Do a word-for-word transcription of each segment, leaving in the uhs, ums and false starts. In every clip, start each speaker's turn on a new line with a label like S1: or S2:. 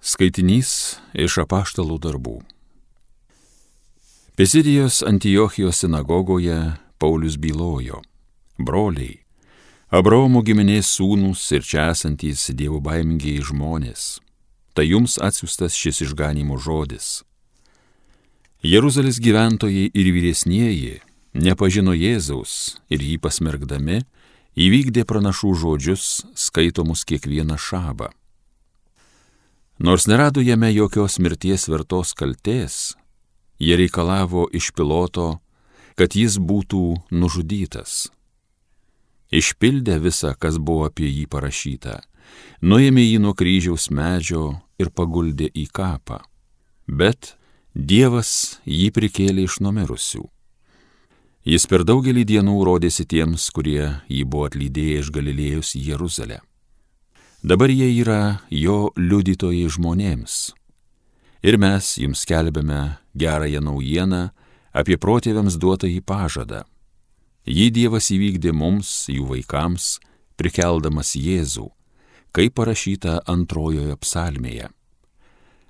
S1: Skaitinys iš Apaštalų darbų. Pizidijos Antiochijos sinagogoje Paulius bylojo: broliai, Abraomo giminės sūnūs ir čia esantys dievobaimingiai žmonės, tai jums atsiųstas šis išganymo žodis. Jeruzalės gyventojai ir vyresnieji nepažino Jėzaus ir jį pasmerkdami įvykdė pranašų žodžius skaitomus kiekvieną šabą. Nors nerado jame jokios mirties vertos kaltės, jie reikalavo iš Piloto, kad jis būtų nužudytas. Išpildę visą, kas buvo apie jį parašyta, nuėmė jį nuo kryžiaus medžio ir paguldė į kapą. Bet Dievas jį prikėlė iš numirusių. Jis per daugelį dienų rodėsi tiems, kurie jį buvo atlydėję iš Galilėjos į Jeruzalę. Dabar jie yra jo liudytojai žmonėms. Ir mes jums skelbiame gerąją naujieną apie protėviams duotąjį pažadą. Jį Dievas įvykdė mums, jų vaikams, prikeldamas Jėzų, kaip parašyta antrojoje psalmėje.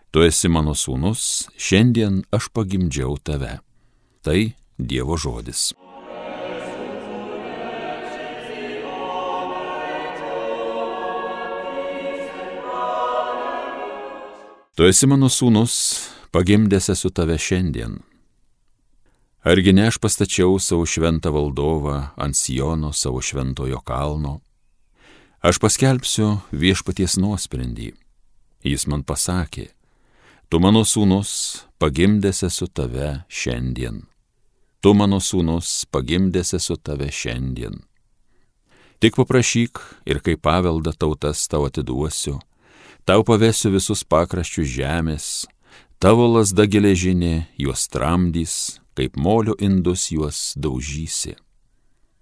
S1: Tu esi mano sūnus, šiandien aš pagimdžiau tave. Tai Dievo žodis. Tu esi mano sūnus, pagimdęs esu tave šiandien. Argi ne aš pastačiau savo šventą valdovą ant Siono, savo šventojo kalno? Aš paskelbsiu viešpaties nuosprendį. Jis man pasakė: tu mano sūnus, pagimdęs esu tave šiandien. Tu mano sūnus, pagimdęs esu tave šiandien. Tik paprašyk ir kaip paveldą tautas tau atiduosiu. Tau pavesiu visus pakraščius žemės, tavo lazda geležinė juos tramdys, kaip molio indus juos daužysi.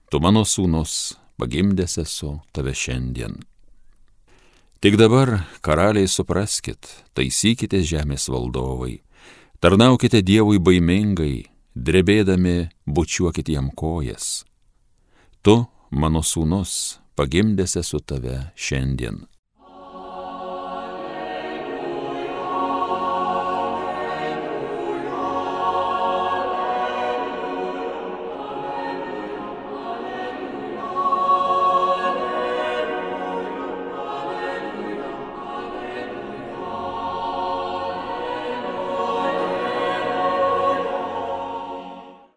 S1: Tu mano sūnus, pagimdęs esu tave šiandien. Tik dabar, karaliai, supraskit, taisykite žemės valdovai, tarnaukite Dievui baimingai, drebėdami bučiuokit jam kojas. Tu, mano sūnus, pagimdęs esu tave šiandien.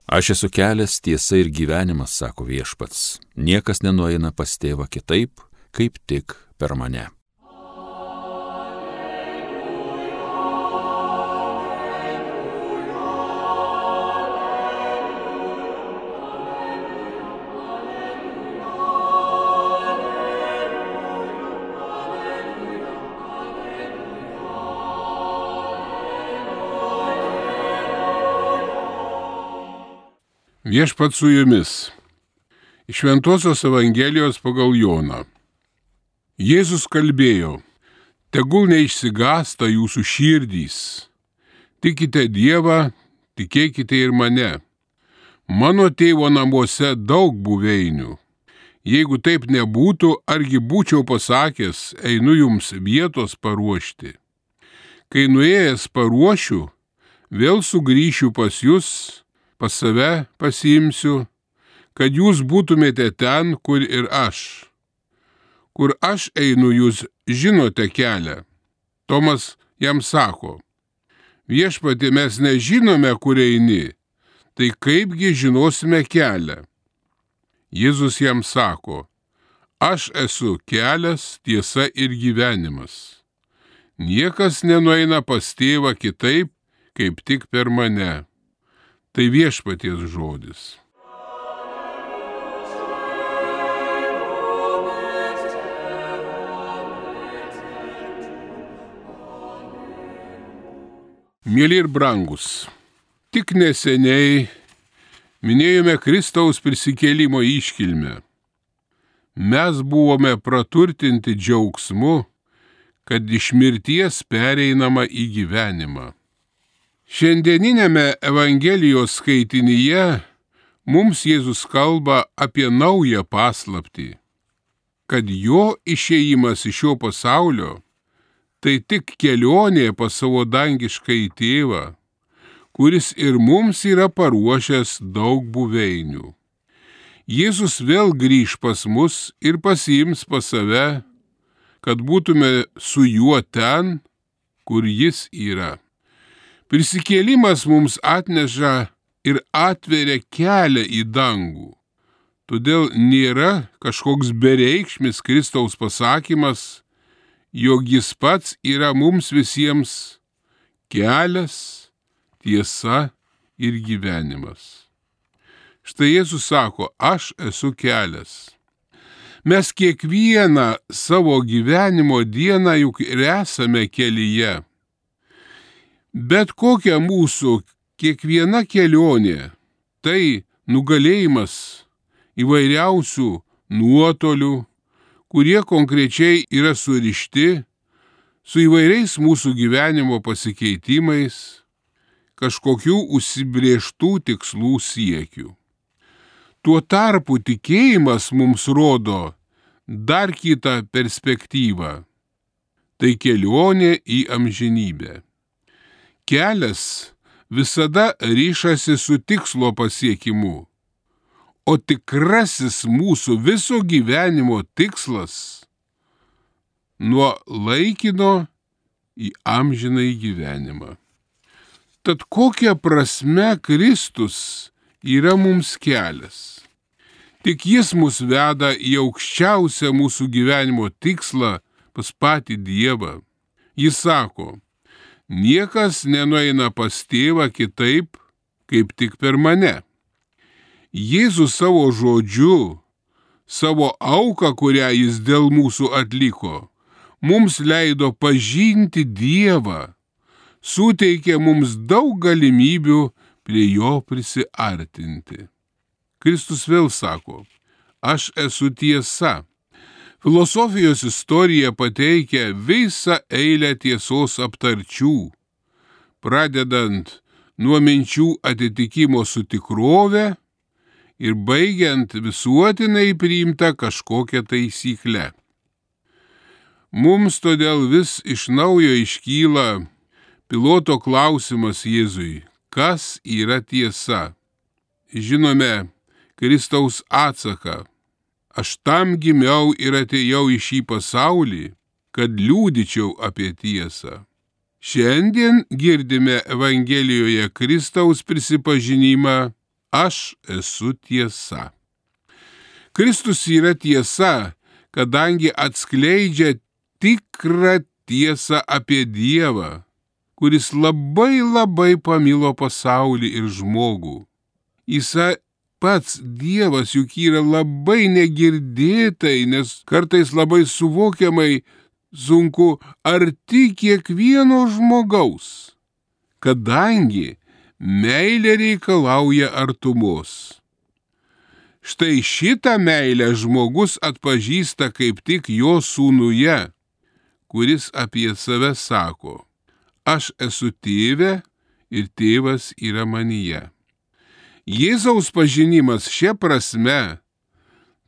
S1: Aš esu kelias, tiesa ir gyvenimas, sako viešpats. Niekas nenueina pas tėvą kitaip, kaip tik per mane.
S2: Viešpats su jumis. Iš Šventosios Evangelijos pagal Joną. Jėzus kalbėjo: tegul neišsigąsta jūsų širdys. Tikite Dievą, tikėkite ir mane. Mano tėvo namuose daug buveinių. Jeigu taip nebūtų, argi būčiau pasakęs, einu jums vietos paruošti. Kai nuėjęs paruošiu, vėl sugrįšiu pas jūs, pas save pasiimsiu, kad jūs būtumėte ten, kur ir aš. Kur aš einu, jūs žinote kelią. Tomas jam sako: viešpatie, mes nežinome, kur eini, tai kaipgi žinosime kelią? Jėzus jam sako: aš esu kelias, tiesa ir gyvenimas. Niekas nenueina pas tėvą kitaip, kaip tik per mane. Tai viešpaties žodis. Mieli ir brangus, tik neseniai minėjome Kristaus prisikėlimo iškilmę. Mes buvome praturtinti džiaugsmu, kad iš mirties pereinama į gyvenimą. Šiandieninėme Evangelijos skaitinyje mums Jėzus kalba apie naują paslaptį, kad jo išėjimas iš šio pasaulio tai tik kelionė pas savo dangiškąjį tėvą, kuris ir mums yra paruošęs daug buveinių. Jėzus vėl grįž pas mus ir pasiims pas save, kad būtume su juo ten, kur jis yra. Prisikėlimas mums atneša ir atveria kelią į dangų. Todėl nėra kažkoks bereikšmis Kristaus pasakymas, jog jis pats yra mums visiems kelias, tiesa ir gyvenimas. Štai Jėzus sako, aš esu kelias. Mes kiekvieną savo gyvenimo dieną juk ir esame kelyje. Bet kokia mūsų kiekviena kelionė, tai nugalėjimas įvairiausių nuotolių, kurie konkrečiai yra surišti su įvairiais mūsų gyvenimo pasikeitimais, kažkokių užsibrėžtų tikslų siekių. Tuo tarpu tikėjimas mums rodo dar kitą perspektyvą. Tai kelionė į amžinybę. Kelias visada ryšasi su tikslo pasiekimu, o tikrasis mūsų viso gyvenimo tikslas nuo laikino į amžinąjį gyvenimą. Tad kokia prasme Kristus yra mums kelias? Tik jis mus veda į aukščiausią mūsų gyvenimo tikslą pas patį Dievą. Jis sako, niekas nenueina pas tėvą kitaip, kaip tik per mane. Jėzus savo žodžiu, savo auką, kurią jis dėl mūsų atliko, mums leido pažinti Dievą, suteikė mums daug galimybių prie jo prisiartinti. Kristus vėl sako, aš esu tiesa. Filosofijos istorija pateikia visą eilę tiesos aptarčių, pradedant nuo minčių atitikimo su tikrove ir baigiant visuotinai priimtą kažkokią taisyklę. Mums todėl vis iš naujo iškyla piloto klausimas Jėzui, kas yra tiesa? Žinome Kristaus atsaką, aš tam gimiau ir atėjau į šį pasaulį, kad liudyčiau apie tiesą. Šiandien girdime Evangelijoje Kristaus prisipažinimą, aš esu tiesa. Kristus yra tiesa, kadangi atskleidžia tikrą tiesą apie Dievą, kuris labai labai pamilo pasaulį ir žmogų. Jis pats Dievas juk yra labai negirdėtai, nes kartais labai suvokiamai sunku arti kiekvieno žmogaus, kadangi meilė reikalauja artumos. Štai šitą meilę žmogus atpažįsta kaip tik jo sūnuje, kuris apie save sako, aš esu tėve ir tėvas yra manyje. Jėzaus pažinimas šia prasme,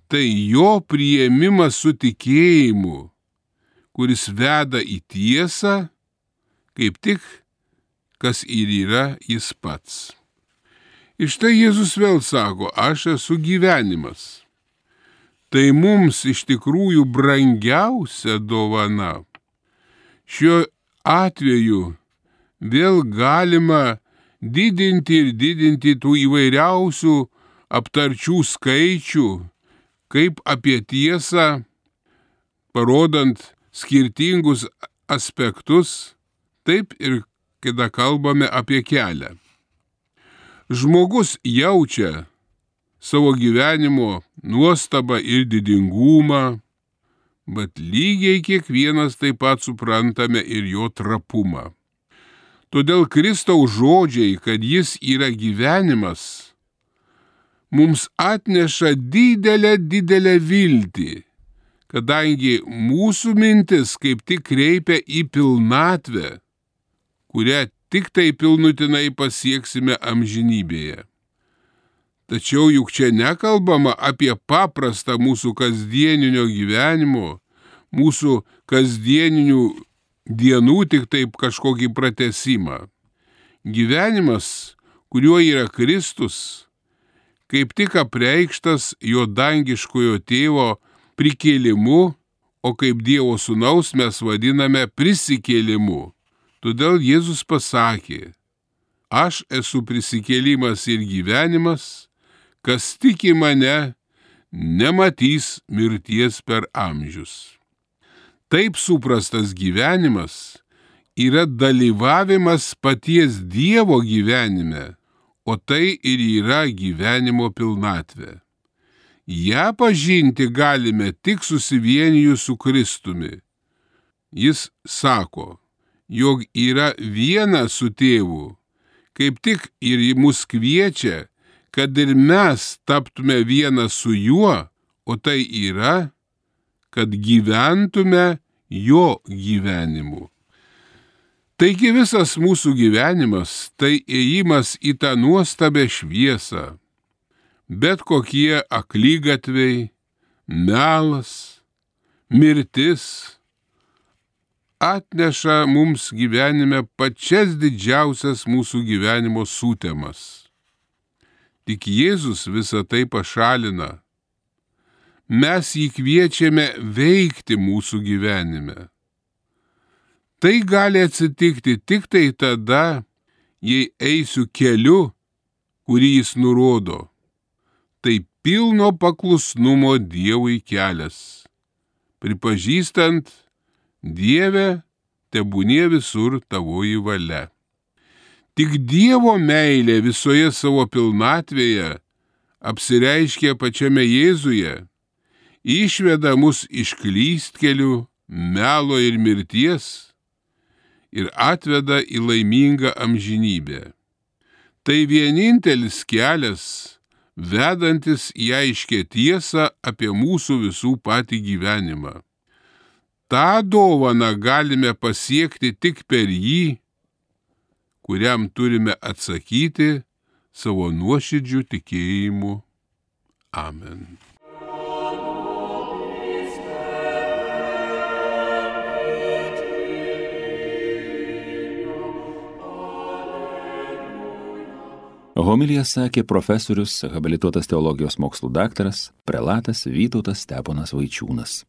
S2: tai jo priėmimas su tikėjimu, kuris veda į tiesą, kaip tik, kas ir yra jis pats. Ir štai Jėzus vėl sako, aš esu gyvenimas. Tai mums iš tikrųjų brangiausia dovana. Šiuo atveju vėl galima didinti ir didinti tų įvairiausių aptarčių skaičių, kaip apie tiesą, parodant skirtingus aspektus, taip ir kada kalbame apie kelią. Žmogus jaučia savo gyvenimo nuostabą ir didingumą, bet lygiai kiekvienas taip pat suprantame ir jo trapumą. Todėl Kristaus žodžiai, kad jis yra gyvenimas, mums atneša didelę, didelę viltį, kadangi mūsų mintis kaip tik kreipia į pilnatvę, kurią tik tai pilnutinai pasieksime amžinybėje. Tačiau juk čia nekalbama apie paprastą mūsų kasdieninio gyvenimo, mūsų kasdieninių dienų tik taip kažkokį pratesimą. Gyvenimas, kuriuo yra Kristus, kaip tik apreikštas jo dangiškojo tėvo prikėlimu, o kaip Dievo sūnaus mes vadiname prisikėlimu. Todėl Jėzus pasakė: aš esu prisikėlimas ir gyvenimas, kas tiki mane, nematys mirties per amžius. Taip suprastas gyvenimas yra dalyvavimas paties Dievo gyvenime, o tai ir yra gyvenimo pilnatvė. Ja pažinti galime tik susivienijus su Kristumi. Jis sako, jog yra viena su tėvu, kaip tik ir mus kviečia, kad ir mes taptume viena su juo, o tai yra, kad gyventume jo gyvenimu. Taigi visas mūsų gyvenimas tai ėjimas į tą nuostabią šviesą. Bet kokie aklygatviai, melas, mirtis atneša mums gyvenime pačias didžiausias mūsų gyvenimo sutemas. Tik Jėzus visą tai pašalina. Mes jį kviečiame veikti mūsų gyvenime. Tai gali atsitikti tik tai tada, jei eisiu keliu, kurį jis nurodo. Tai pilno paklusnumo Dievui kelias, pripažįstant: Dieve, tebūnie visur tavoji valia. Tik Dievo meilė visoje savo pilnatvėje apsireiškia pačiame Jėzuje, išveda mus iš klystkelių, melo ir mirties ir atveda į laimingą amžinybę. Tai vienintelis kelias, vedantis į aiškę tiesą apie mūsų visų patį gyvenimą. Ta dovana galime pasiekti tik per jį, kuriam turime atsakyti savo nuoširdžiu tikėjimu. Amen.
S1: Homiliją sakė profesorius, habilituotas teologijos mokslų daktaras, prelatas Vytautas Steponas Vaičiūnas.